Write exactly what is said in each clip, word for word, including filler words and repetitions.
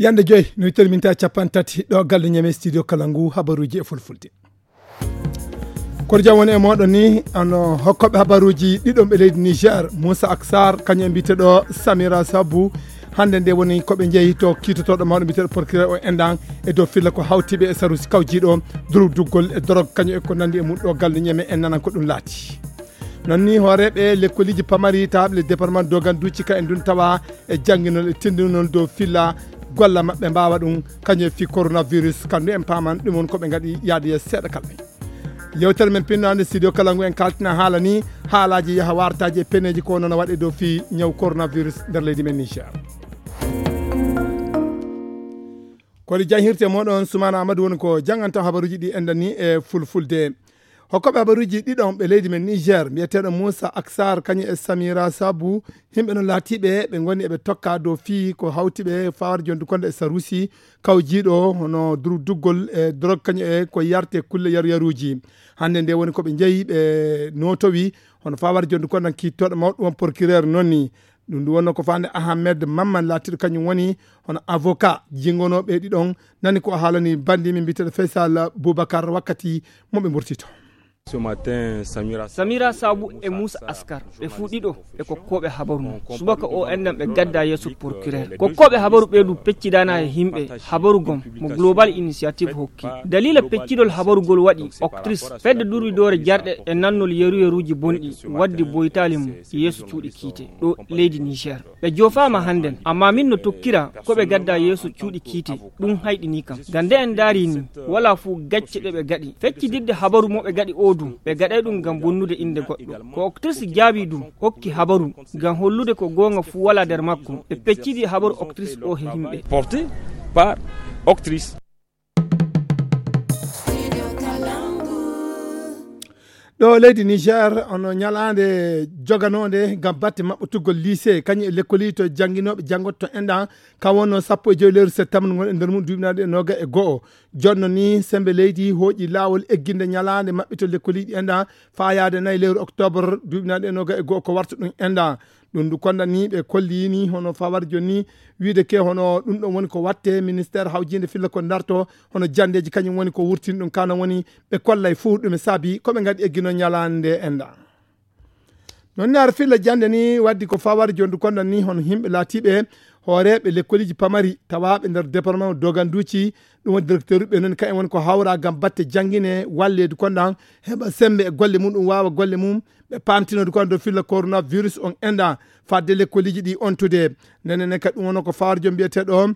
Yande joy no terminta capan tati ɗo galle ñame studio kala ngu habaruji e fulfulde. Kono jam woni e moɗon ni ano hokkoɓe habaruji ɗiɗon ɓe leydi Niger, Moussa Aksar kañum e mbiteɗo Samira Sabu. Hande nde woni koɓe jeeyi to kiitotoɗo mawɗo mbiteɗo procureur o endan e dow filla ko hawtiɓe e sarusi kawjiɗo durduggol e dorog kañum e ko nandi e mum ɗo galle ñame en nanan ko ɗum laati. Non ni hooreɓe lekkoliji pamari tawaɓe le département doganduci ka en dun tawa e jannginol e tindinol dow filla golla maɓɓe mbawa ɗum kañum e fi coronavirus kandu en paman ɗum won koɓe gaɗi yaade yeeso seeɗa kala. Yewtere men pinnande studio kala ngu en kaltina haala ni haalaji yaha wartaji e peneji ko nono waɗe dow fi ñaw coronavirus nder leydi men Niger. Koɗi jahirte moɗon Sumana Amadou woni ko janganta habaruji ɗi enɗan ni e fulfulde. Hokkoɓe habaruji ɗiɗon ɓe leydi men Niger mbiyeteɗo Moussa Aksar kañum e Samira Sabu, yimɓe non laatiɓe ɓe goni eɓe tokka dow fii ko hawtiɓe fawar jondu konde e sarusi kawjiɗo hono duggol e drog kañum e ko yarte kulle yaru yaruji. Hande nde woni koɓe jeeyi ɓe notowi hono fawar jondu konde kiittoɗo mawɗo on procureur nonni. Ɗum ɗum wonno ko fande Ahmed Mamman laatiɗo kañum woni hono avocat jingonoɓe ɗiɗon. Nani ko haalani bandimi mbiteɗo Faisal Boubacar wakkati moɓe mburtito. Samira Sabu e Moussa Askar ɓe fuu ɗiɗo ɓe kokkooɓe habaru mum. Subaka o enɗan ɓe gadda yeeso procureur. Kokkooɓe habaru ɓeeɗu peccidana e himɓe habaru gom mo Global Initiative hokki. Dalila peccidol habarugol waɗi Octrice fedde durwidoore jarɗe e nannol yeru-yeruuji bonɗi waddi boytaali mum yeeso cuuɗi kiite ɗo leydi Niger. Ɓe joofaama hannden, ammaa min no tokkira ko ɓe gadda yeeso cuuɗi kiite. Ɗum hayɗinii kam. Ngam nde en ndaarii nii, walaa fuu gacce ɗe ɓe ngaɗi. Feccidirde habaru mo ɓe ngaɗi oo du, ɓe ngaɗay ɗum ngam bonnude innde goɗɗo. Ko Octrice jaabii ɗum, hokki habaru, ngam hollude ko goonga fuu walaa nder makko. Ɓe peccidi habaru Octrice ɗoo he yimɓe. Porté par Octrice. Ɗo leydi Niger ono ñalaande joganoonde ngam batte maɓɓotugol lycée kañum e lekkoliji to jannginooɓe janngoto to enɗan. Kam wonno sappo e joyi lewru septembre ngon e nder mum duuɓinaaɗe e noga e go'o. Jonno ni sembe leydi hooƴi laawol egginde ñalaande maɓɓito lekkoliji enɗan faayaade nayi lewru octobre duuɓinaaɗe e noga e go'o ko warta ɗum enɗan. Ɗum ndu konda ni ɓe kolli ni hono fawar jonni wiide ke hono ɗum ɗon woni ko watte ministère hawjinde filla ko darto hono jandeji kañum woni ko wurtini ɗum kana woni ɓe kollay fuu ɗum e saabi ko ɓe ngaɗi eggino ñalaande enɗan. Non ni ar filla jande ni waddi ko fawar jondu konda ni hono himɓe laatiɓe hooreɓe lekkoliji pamari tawaɓe nder département doganduci. Ɗum woni directeur ɓe non kayen woni ko hawra gam batte jangine walledu kondan heɓa sembe e golle mum ɗum wawa golle mum. Ɓe pamtinode ko ando filla coronavirus on enɗa fadde lekkoliji ɗi ontude. Nenen kadi ɗum wonno ko fawarjo mbiyeteɗo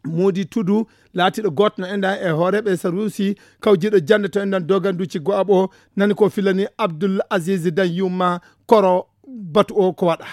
Modi Tudu laatiɗo goto no enɗa e hooreɓe sarusi kawjiɗo jande to enɗan doganduci go'aɓo. Nani ko fillani Abdoul Aziz Dan Yumma koro batu o ko waɗa.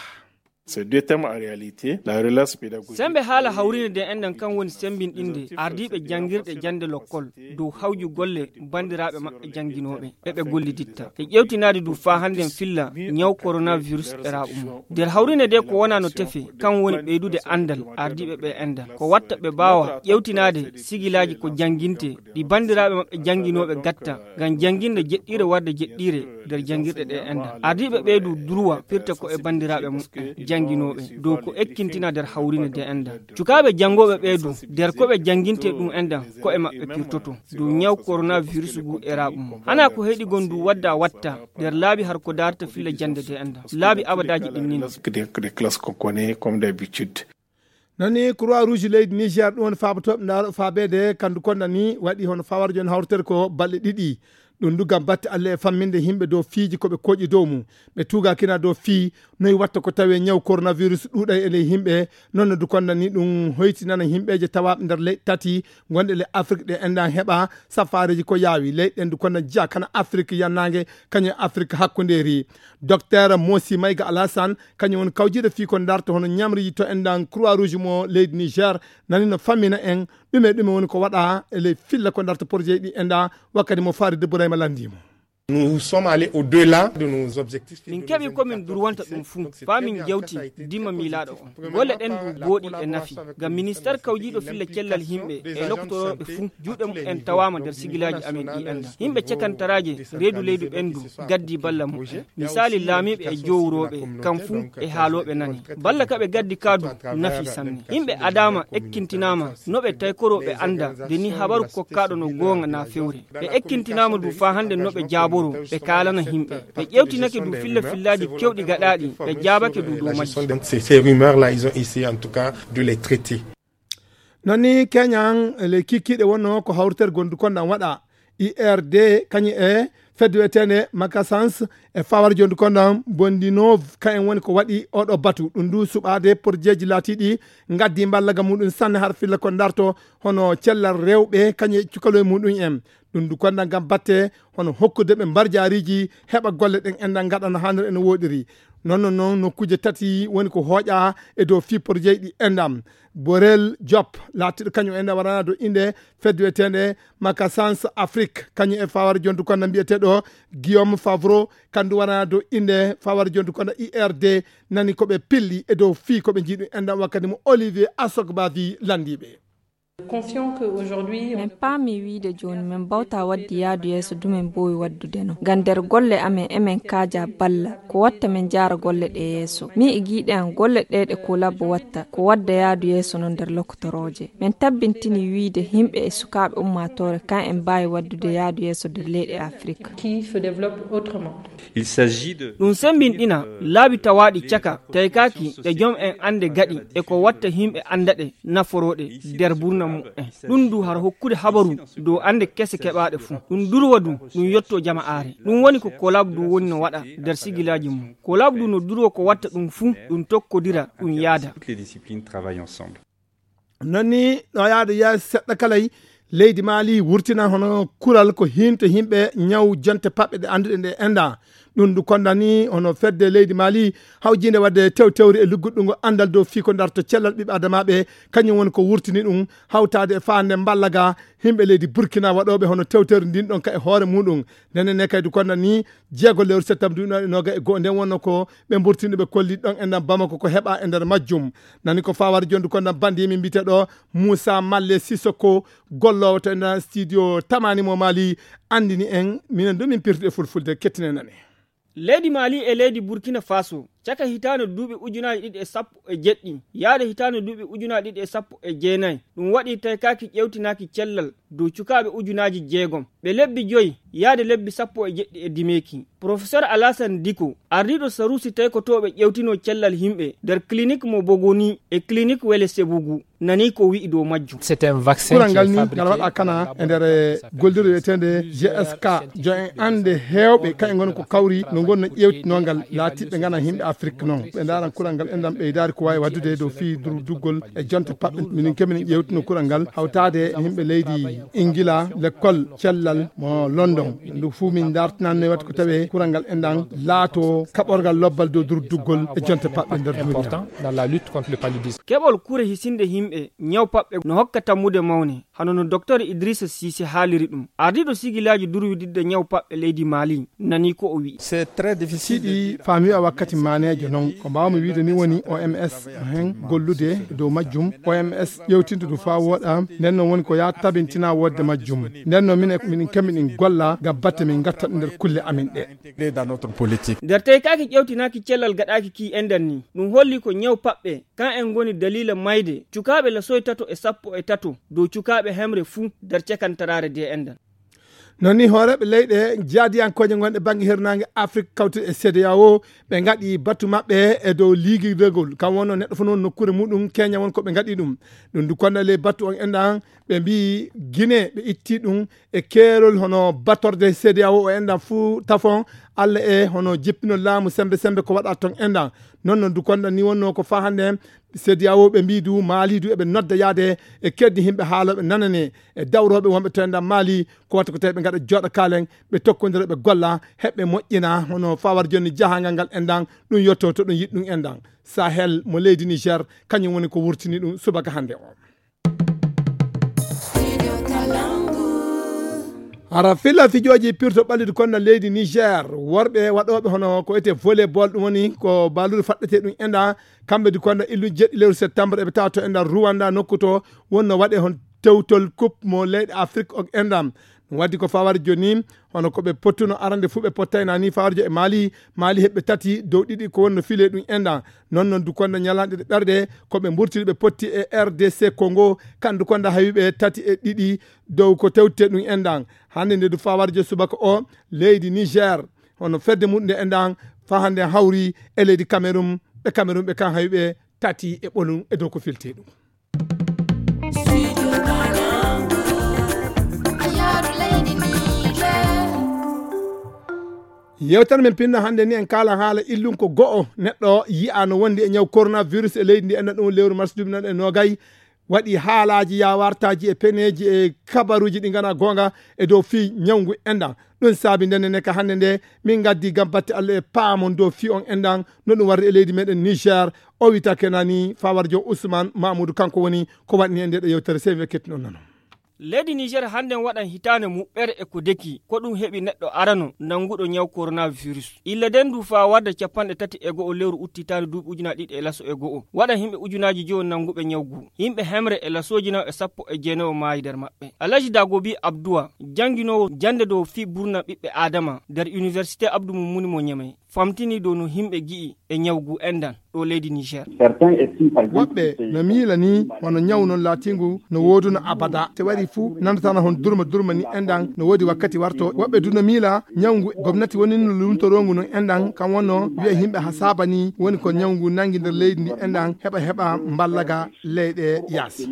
Ces deux thèmes en réalité, la relance pédagogique. Sembe haala hawrine de enɗan kan woni sembinɗinde ardiiɓe janngirɗe jannde lokkol dow hawju golle banndiraaɓe maɓɓe jannginooɓe e ɓe golliditta e ƴeewtinaade du faa hannden filla ñaw coronavirus e raaɓu mum. Nder hawrine de ko wonaa no tefe kan woni ɓeydude anndal ardiiɓe ɓe enɗan ko watta ɓe mbaawa ƴeewtinaade sigilaaji ko jannginte ɗi banndiraaɓe maɓɓe jannginooɓe gatta ngam jannginde jeɗɗiire warde jeɗɗiire nder janngirɗe ɗe enɗan. Ardiiɓe ɓee du durwa firta ko e banndiraaɓe muɓɓen jannginooɓe dow ko ekkintina nder hawrine de enɗan. Cukaaɓe janngooɓe ɓee du nder ko ɓe jannginte ɗum enɗan ko e maɓɓe pirtoto dow ñaw coronavirus ngu e raaɓu mum. Hanaa ko heɗi gon du wadda watta nder laabi har ko daarta filla jannde de enɗan. Laabi abadaaji ɗin nino. Des classes qu'on connaît comme d'habitude. Nani croix rouge leydi Niger ɗum woni faabotoɓe ndaaro faabeede kandu konda ni waɗi hono fawar joni hawritere ko balɗe ɗiɗi. Ɗum du gam batte Allah e famminde yimɓe dow fiiji ko ɓe koƴi dow mum. Ɓe tuugakina dow fii noy watta ko tawi ñaw coronavirus ɗuuɗay e ley yimɓe. Noon no du konda ni ɗum hoytinana yimɓeeje tawaaɓe nder leyɗe tati gonɗe ley Afrik ɗe enɗan heɓa safaareeji ko yaawi leyɗe ɗen du konda jiya kana Afrik yannaange kañum e Afrik hakkundeeri. Docteur Mosi Mayga Alassane kañum woni kawjiiɗo fii ko darta hono ñamriji to enɗan Croix Rouge mo leydi Niger nani no fammina en ɗume ɗume woni ko waɗa e ley filla ko darta projet ɗi enɗan wakkati mo Farid Bourayma lanndimo. Nous sommes allés au-delà de nos objectifs. Min keɓi ko min durwanta ɗum fuu, faa min jawti dimma miilaaɗo on. Golle ɗen du booɗi e nafi. Ngam ministeer kawjiiɗo filla cellal himɓe e lokotorooɓe fuu, juuɗe mum en tawaama nder sigilaaji amin ɗi enda. Himɓe cekantaraaje reedu leydi ɓen du gaddi balla mum en. Misaali laamiiɓe e jowrooɓe, kam fuu e haalooɓe nani. Balla ka ɓe gaddi ka du nafi sanne. Himɓe adaama, ekkintinaama, no ɓe taykoro ɓe anda de ni habaru kokkaaɗo no goonga na fewre. Ɓe ekkintinaama du faa hande no ɓe jaaboro, ɓe kaalana himɓe. Ɓe ƴewtinake du filla fillaaji kewɗi gaɗaaɗi, ɓe jaabake du dow majji. Donc, ces, ces rumeurs-là, ils ont essayé en tout cas de les traiter. Non ni Keñan, le kikkiɗe wonno ko hawritere gondu kondan waɗa. I R D kañum e fedde wiyeteende Makasans e fawar jondu kondan Bondinov, kañum woni ko waɗi oɗo batu. Ɗum du suɓaade porjeeji laatiiɗi ngaddi mballaga muɗum sanne har filla ko darto hono cellal rewɓe kañum e cukaloy muɗum en. Ɗum du kondan ngam batte hono hokkude ɓe mbarjaariji heɓa golle ɗen enɗan ngaɗana hannde ene woɗiri. Non, non, non, nokkuuje tati woni ko hooƴa e dow fii porjeeji ɗi enɗan. Borel Diop, laatiiɗo kañum enɗan warana dow innde fedde wiyeteende Makasans Afrique, kañum e fawar jondu kondan mbiyeteeɗo Guillaume Favreau, kandu warana dow innde fawar jondu kondan I R D, nani ko ɓe pilli e dow fii ko ɓe njiɗu enɗan wakkati mo Olivier Asogbavi landiiɓe. Confiant que aujourd'hui, on- Min paami wiide jooni min mbawta wadde yaadu yeeso du min mboowi waddude no. Ngam nder golle amen emin kaaja balla ko watta min njaara golle ɗe yeeso. Min e giiɗe am golle ɗe ɗe Kolab watta ko wadda yaadu yeeso no nder lokotorooje. Min tabbintini wiide yimɓe e sukaaɓe ummaatoore kan en mbaawi waddude yaadu yeeso nder leyɗe Afrik. Qui se développe autrement. Il s'agit de Ɗum semmbinɗina laabi tawaaɗi caka taykaaki ɗe joom en annde gaɗi e ko watta yimɓe annda ɗe naforooɗe nder burna mu'en. Ɗum du hara hokkude habaru dow annde kese keɓaaɗe fuu. Ɗum durwa du ɗum yotto jama'aare. Ɗum woni ko Kolab du woni no waɗa nder sigilaaji mum. Kolab du no durwa ko watta ɗum fuu, ɗum tokkodira, ɗum yaada. Toutes les disciplines travaillent ensemble. Non ni, ɗo yaade yeeso seɗɗa kalay, leydi Mali wurtina hono kural ko hiinto yimɓe ñaw jonte paɓɓe ɗe annduɗen ɗe enda. Ɗum du kondani hono fedde leydi Mali hawjinde wadde tewtewri e lugguɗɗungo anndal dow fii ko darto cellal ɓiɓɓe adamaaɓe, kañum woni ko wurtini ɗum hawtaade e faande mballaga yimɓe leydi Burkina waɗooɓe hono tewtewri ndin ɗon ka e hoore muɗum. Ndenen ne kaydi kondani jeego lewru septembre duuɓi noga e goo nden wonno ko ɓe mburtini ɓe kolli ɗon e nder Bamako ko heɓa e nder majjum. Nani ko fawar jondu kondan bandi min mbite ɗo Moussa Malle Sissoko, gollowo to e nder studio Tamani mo Mali, andini en minen du min pirti e fulfulde, kettine nane. Leydi Mali e leydi Burkina Faso, caka hitaande duuɓi ujunaaji ɗiɗi e sappo e jeɗɗi, yaade hitaande duuɓi ujunaaji ɗiɗi e sappo e jeenayi, ɗum waɗi taykaaki ƴewtinaaki cellal dow cukaaɓe ujunaaji jeegom, ɓe lebbi joyi yaade lebbi sappo e jeɗɗi e dimeeki. Professeur Alassane Diko, ardiiɗo saruusi taykotooɓe ƴewtinoo cellal yimɓe nder clinique mo Bogoni e clinique Wele Sebugu, nani ko wi'i dow majjum. C'est un vaccin. Kural ngal ni ngal waɗa kana e nder gollirde wiyeteende G S K. Jo en annde heewɓe kañum ngoni ko kawri no ngoni no ƴeewtinoo ngal laatiiɓe ngana yimɓe Afrik noon. Ɓe ndaaran kural ngal enɗan ɓeydaari ko waawi waɗdude dow fii durduggol e jonte paɓɓe. Minin kemini ƴeewtino kural ngal hawtaade yimɓe leydi Ingila, lekkol cellal mo London. Ndu fuu min ndartinanno waɗi ko tawi kural ngal enɗan laato kaɓorgal lobbal dow durduggol e jonte paɓɓe nder duniya. Important dans la lutte contre le paludisme. Keɓol kure hisinde yimɓe ñaw paɓɓe no hokka tammude mawne, hano no Docteur Idrissa Cissé haaliri ɗum. Ardiiɗo sigilaaji durwididde ñaw paɓɓe leydi Mali nani ko o wi'i. C'est très difficile de dire. Siɗi faami a wakkati maaneejo noon. Ko mbaawmi wiide ni woni O M S hen gollude dow majjum. O M S ƴewtinta ɗum faa wooɗa. Nden noon woni ko yaa tabintina woodde majjum. Nden noon minen, minen kemmi ɗin golla ngam batte min ngatta ɗum nder kulle amin ɗe. Intégré dans notre politique. Nder teykaaki ƴewtinaaki cellal gaɗaaki ki enɗan ni, ɗum holli ko ñaw paɓɓe kan en ngoni daliila mayde cukaaɓe lasoy tato e sappo e tato dow cukaaɓe hemre fuu nder cekantaraare de enɗan. Non ni hooreeɓe leyɗe jaadiyankooje gonɗe bannge hirnaange Afrik kawtuɗe e C D A O, ɓe ngaɗi batu maɓɓe e dow liigidegol. Kam wonno neɗɗo fof noon nokkuure muɗum keña won ko ɓe ngaɗi ɗum. Ɗum du konda ley batu on enɗan ɓe mbii Gine ɓe itti ɗum e keerol hono batorde C D A O o enɗan fuu tafon Alla e hono jippinol laamu sembe sembe ko waɗa ton enɗan. Non non du konda ni wonno ko faa hannde C D A O ɓe mbii du Mali du eɓe nodda yaade e keddi yimɓe haalooɓe nanane e dawrooɓe wonɓe to enɗan Mali ko watta ko tawi ɓe ngaɗa jooɗa kaalen ɓe tokkondira ɓe golla heɓɓe moƴƴina hono fawar jonni jahangal ngal enɗan ɗum yotto to ɗum yiɗ ɗum enɗan. Sahel mo leydi Niger kañum woni ko wurtini ɗum subaka hannde o. Ara filla fijooji pirto ɓallidu konna leydi Niger, worɓe waɗooɓe hono ko etee volleyball, ɗum woni ko baaludu faɗɗetee ɗum enɗan, kamɓe du konna illu jeɗɗi lewru septembre eɓe tawa to enɗan Rwanda, nokku to wonno waɗe hon tewtol coupe mo leyɗe Afrique o enɗan. Ɗum waddi ko fawar joni, hono ko ɓe pottuno arande fuu ɓe pottayna ni fawar jo e Mali, Mali heɓɓe tati dow ɗiɗi ko wonno file ɗum enɗan. Non non du konna ñalanɗe ɗe ɓerɗe ko ɓe mburtiri ɓe potti e R D C Congo, kandu konna hawi ɓe tati e ɗiɗi dow ko tewte ɗum enɗan. Hannde nde du fawar jo subaka o leydi Niger, hono fedde muɗum nde enɗan fa hannde hawri e leydi Cameroun, ɓe Cameroun ɓe kan hawi ɓe tati e ɓolum e dow ko filte ɗum. Yewtere men pinno hannde ni en kaala haala illun ko go'o neɗɗo yi'a no wondi e ñaw coronavirus e leydi ndi enɗan ɗum lewru mars duuɓi nan e nogay. Waɗi haalaaji yawartaaji e peneeji e kabaruuji ɗi ngana goonga e dow fii ñawngu enɗan. Ɗum saabi ndenne ne ka hannde nde min ngaddi ngam batte Allah e paamon dow fii on enɗan no ɗum warri e leydi meɗen Niger. O wita kenani fawar jo Ousmane Mamoudou, kanko woni ko waɗni e nde ɗo yewtere, sey mi kettinon nano. Leydi Niger hannden waɗan hitaande muɓɓere e ko deki, ko ɗum heɓi neɗɗo arano nannguɗo ñaw coronavirus. Illa den du faa warda capanɗe tati e go'o lewru utti hitaande duuɓi ujunaaji ɗiɗi e laso e go'o. Waɗan himɓe ujunaaji jowo nannguɓe ñaw gu. Himɓe hemre e lasooji naw e sappo e jeenayo maayi nder maɓɓe. Alaji Dagobi Abduwa, jannginoowo jannde dow fii burna ɓiɓɓe Aadama nder Université Abdou Moumouni mo Ñamey, famtini dow no himɓe gi'i e ñaw gu enɗan ɗo leydi Niger. Woɓɓe no miila ni wano ñaw non laatingu no wooduna abada. Te wari fu nandatana hon durma durma ni enɗan no woodi wakkati warto. Woɓɓe du no miila ñaw ngu gomnati woni no lumtorongu non enɗan kan wonno wi'a himɓe ha saaba ni woni ko ñaw ngu nangi nder leydi ndi enɗan heɓa heɓa mballaga leyɗe yaasi.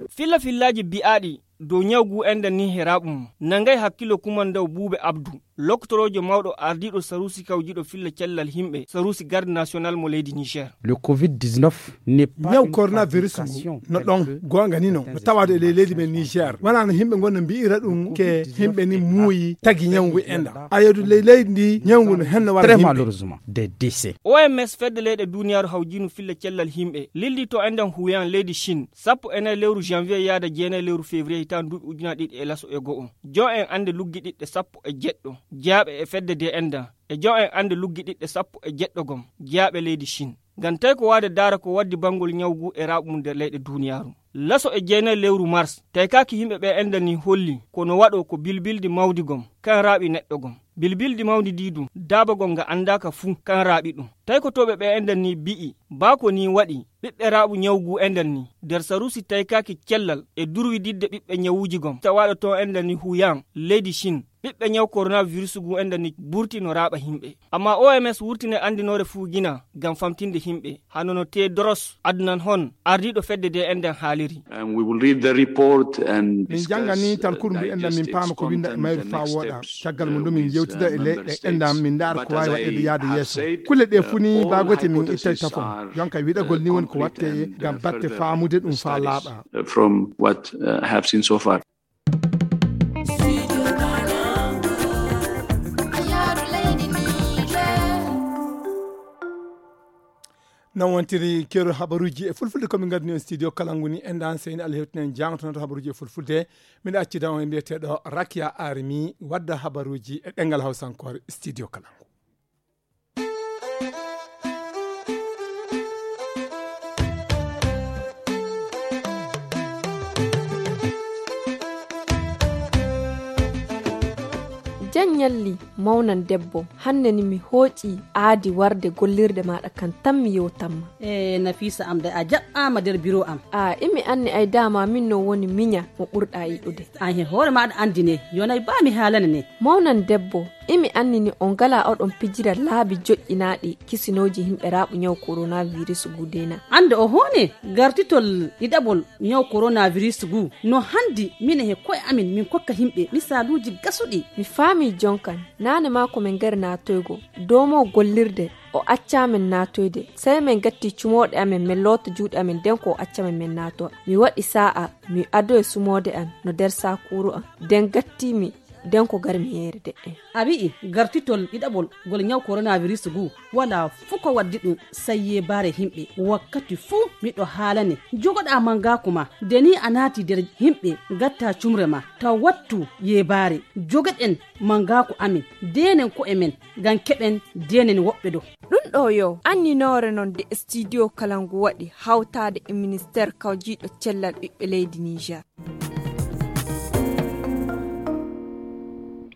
Filla fillaaji bi'aaɗi dow ñaw gu enɗan ni heraaɓu mum. Nangay hakkilo kumandaw Buube Abdu, loktoroojo mawɗo ardiiɗo saruusi kawjiiɗo filla cellal himɓe, saruusi garde national mo leydi Niger. Le covid dix-neuf n'est pas ñaw une coronavirus ngu fabrication no ɗon telle que goonga ni no, no tawaade e ley leydi men Niger. Wonaa no himɓe ngon no mbi'ira ɗum ke himɓe ni muuyi tagi ñaw ngu enɗan. Ayeedu ley leydi ndi ñaw ngu no henno wara très himɓe. Malheureusement, des décès. O M S fedde leyɗe duniyaaru hawjiinu filla cellal himɓe, lildi to enɗan Huyan leydi Chine, sappo e nayi lewru janvier yaada jeenayi lewru février hitaande duuɓi ujunaaji ɗiɗi e laso e go'o. Jo en annde luggiɗiɗɗe sappo e jeɗɗo, jeyaaɓe e fedde de enɗan, e jo en annde luggiɗiɗɗe sappo e jeɗɗo gom, jeyaaɓe leydi Chine. Ngam tawi ko waade daara ko waddi banngol ñaw gu e raaɓu mum nder leyɗe duniyaaru. Laso e jeenayi lewru mars, taykaaki himɓe ɓe enɗan ni holli, ko no waɗo ko bilbildi mawdi gom, kan raaɓi neɗɗo gom. Bilbildi mawndi ndi du, daabagol nga anndaaka fuu, kan raaɓi ɗum. Taykotooɓe ɓe enɗan ni bi'i, baa ko ni waɗi, ɓiɓɓe raaɓu ñaw gu enɗan ni, nder saruusi taykaaki cellal e durwididde ɓiɓɓe ñawuuji gom, tawaaɗo to enɗan ni Huyan, leydi Chine, ɓiɓɓe ñaw coronavirus gu enɗan ni burti no raaɓa himɓe. Amma O M S wurtine anndinoore fuu gina ngam famtinde himɓe, hano no Tedros Adhanom Ghebreyesus, ardiiɗo fedde de enɗan haaliri. And we will read the report and min jannga ni talkuru ndu enɗan min paama ko winda e mayru faa wooɗa. Caggal mum ɗum min yewtida e leyɗe enɗan min ndaara ko waawi waɗeede yaade yeeso. Kulle ɗe fuu ni baagote min ittay tafon. Jonka wiɗagol ni woni ko watte ngam batte faamude ɗum faa laaɓa. From what uh, have seen so far. Non wontiri keeru habaruuji e fulfulde ko min ngadni on studio kalangu ni enɗan seyni Allah hewtinen jangotonoto habaruuji e fulfulde. Miɗa accida on e mbiyeteeɗo Rakia Arimi wadda habaruuji e ɗengal hawsankoore studio kalangu. Jan ñalli mawnan debbo, hannde ni mi hooƴi aadi warde gollirde maaɗa kan tan mi yewtanma. E Nafisa am de a jaɓɓaama nder biro am. A imi anni ay dama min no woni miña mo ɓurɗa yiɗude. An he hoore maaɗa anndi ne yonay ba mi haalana ne. Mawnan debbo, imi anni ni on ngala oɗon pijira laabi joƴƴinaaɗi kisinooji himɓe raaɓu ñaw coronavirus gudena. Annde o hoone gartitol ɗiɗaɓol ñaw coronavirus gu no hanndi mine he koye amin min kokka himɓe misaaluuji gasuɗi. Mi faami jonkan, naane maa ko min ngari naatoygo, doomo gollirde o accaa min naatoyde, sey min gatti cumooɗe amin min loota juuɗe amin nden ko o acca min min naatowa. Mi waɗi saa'a, mi adoyi sumoode an no nder saakuuru an, nden gatti mi Nden ko garmi yeere de'e. A wi'i gartitol ɗiɗaɓol ngol ñaw coronavirus ngu, wala fuu ko waddi ɗum, sai yeebaare himɓe. Wakkati fuu miɗo haalane, jogoɗaa mangaaku ma, de ni a naati nder himɓe, ngatta cumre ma, taw wattu yeebaare. Jogoɗen mangaaku amin, deenen ko'e men, ngam keɓen deenen woɓɓe do. Ɗum ɗo yo anninoore non de studio kala ngu waɗi hawtaade e ministeer kawjiiɗo cellal ɓiɓɓe leydi Niger.